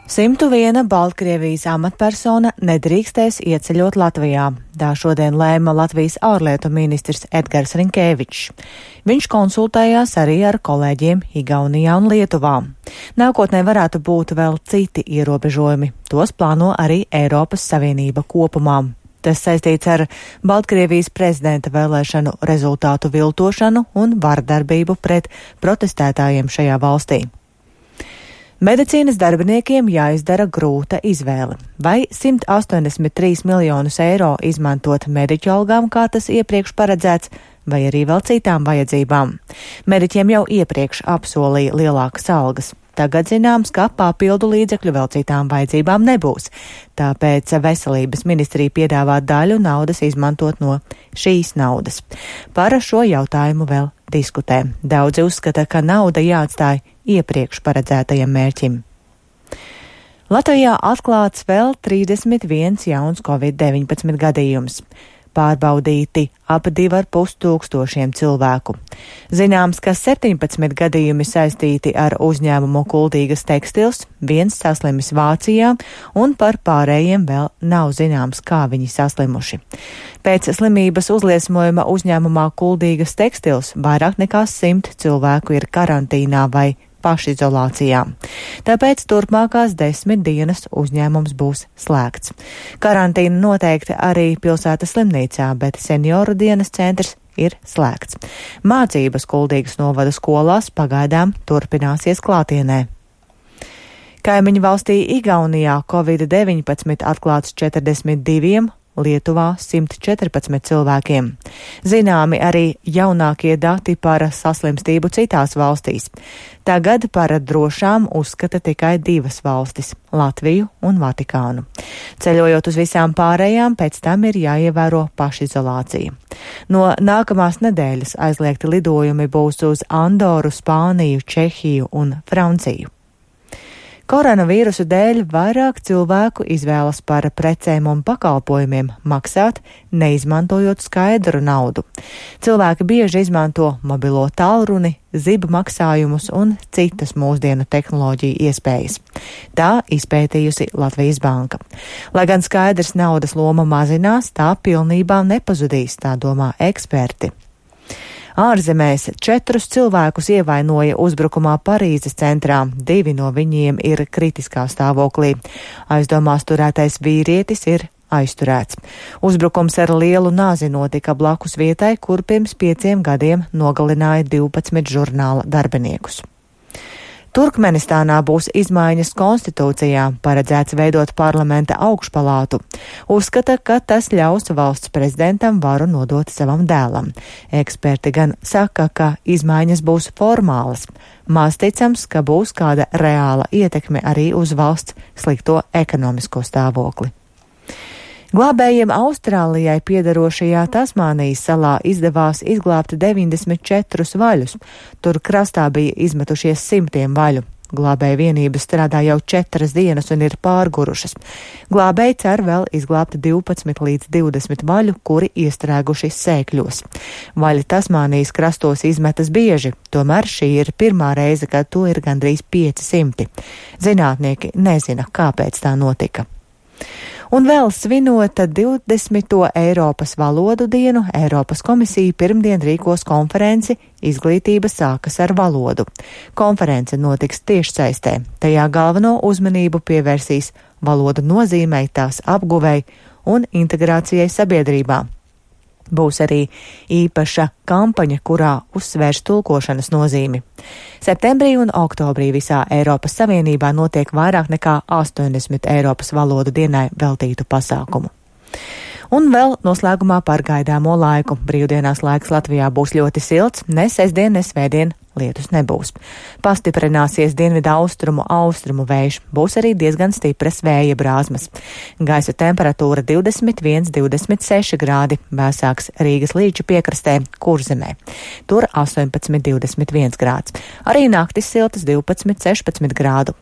101 Baltkrievijas amatpersona nedrīkstēs ieceļot Latvijā. Tā šodien lēma Latvijas ārlietu ministrs Edgars Rinkēvičs. Viņš konsultējās arī ar kolēģiem Igaunijā un Lietuvā. Nākotnē varētu būt vēl citi ierobežojumi. Tos plāno arī Eiropas Savienība kopumā. Tas saistīts ar Baltkrievijas prezidenta vēlēšanu rezultātu viltošanu un vardarbību pret protestētājiem šajā valstī. Medicīnas darbiniekiem jāizdara grūta izvēle. Vai 183 miljonus eiro izmantot mediķu algām, kā tas iepriekš paredzēts, vai arī vēl citām vajadzībām. Mediķiem jau iepriekš apsolīja lielākas algas. Tagad zināms, ka papildu līdzekļu vēl citām vajadzībām nebūs. Tāpēc veselības ministrija piedāvā daļu naudas izmantot no šīs naudas. Par šo jautājumu vēl diskutē. Daudzi uzskata, ka nauda jāatstāj iepriekš paredzētajam mērķim. Latvijā atklāts vēl 31 jauns Covid-19 gadījums. Pārbaudīti ap 2,5 tūkstošiem cilvēku. Zināms, ka 17 gadījumi saistīti ar uzņēmumu Kuldīgas tekstils, viens saslimis Vācijā, un par pārējiem vēl nav zināms, kā viņi saslimuši. Pēc slimības uzliesmojuma uzņēmumā Kuldīgas tekstils vairāk nekā 100 cilvēku ir karantīnā vai pašizolācijā. Tāpēc turpmākās 10 dienas uzņēmums būs slēgts. Karantīna noteikti arī pilsētas slimnīcā, bet senioru dienas centrs ir slēgts. Mācības Kuldīgas novada skolās pagaidām turpināsies klātienē. Kaimiņu valstī Igaunijā Covid-19 atklāts 42, Lietuvā 114 cilvēkiem. Zināmi arī jaunākie dati par saslimstību citās valstīs. Tagad par drošām uzskata tikai 2 valstis - Latviju un Vatikānu. Ceļojot uz visām pārējām, pēc tam ir jāievēro pašizolācija. No nākamās nedēļas aizliegti lidojumi būs uz Andoru, Spāniju, Čehiju un Franciju. Koronavīrusu dēļ vairāk cilvēku izvēlas par precēm un pakalpojumiem maksāt, neizmantojot skaidru naudu. Cilvēki bieži izmanto mobilo tālruni, zibu maksājumus un citas mūsdienu tehnoloģiju iespējas. Tā izpētījusi Latvijas Banka. Lai gan skaidrs naudas loma mazinās, tā pilnībā nepazudīs, tā domā eksperti. Ārzemēs 4 cilvēkus ievainoja uzbrukumā Parīzes centrā. 2 no viņiem ir kritiskā stāvoklī. Aizdomās turētais vīrietis ir aizturēts. Uzbrukums ar lielu nāzi notika blakus vietai, kur pirms 5 gadiem nogalināja 12 žurnāla darbiniekus. Turkmenistānā būs izmaiņas konstitūcijā, paredzēts veidot parlamenta augšpalātu. Uzskata, ka tas ļaus valsts prezidentam varu nodot savam dēlam. Eksperti gan saka, ka izmaiņas būs formālas. Maz ticams, ka būs kāda reāla ietekme arī uz valsts slikto ekonomisko stāvokli. Glābējiem Austrālijai piedarošajā Tasmānijas salā izdevās izglābt 94 vaļus. Tur krastā bija izmetušies 100 vaļu. Glābēju vienības strādā jau 4 dienas un ir pārgurušas. Glābēji cer vēl izglābt 12 līdz 20 vaļu, kuri iestrēguši sēkļos. Vaļi Tasmānijas krastos izmetas bieži, tomēr šī ir pirmā reize, kad to ir gandrīz 500. Zinātnieki nezina, kāpēc tā notika. Un vēl svinot 20. Eiropas valodu dienu, Eiropas komisija pirmdien rīkos konferenci Izglītība sākas ar valodu. Konference notiks tiešsaistē. Tajā galveno uzmanību pievērsīs valodu nozīmei, tās apguvei un integrācijai sabiedrībā. Būs arī īpaša kampaņa, kurā uzsvērs tulkošanas nozīmi. Septembrī un oktobrī visā Eiropas Savienībā notiek vairāk nekā 80 Eiropas valodu dienai veltītu pasākumu. Un vēl noslēgumā par gaidāmo laiku. Brīvdienās laiks Latvijā būs ļoti silts, ne sestdien, ne svētdien lietus nebūs. Pastiprināsies dienvidu austrumu vējš, būs arī diezgan stipras vēja brāzmas. Gaisa temperatūra 21–26 grādi, vēsāks Rīgas līča piekrastē, Kurzemē. Tur 18–21 grāds. Arī naktis siltas 12–16 grādu.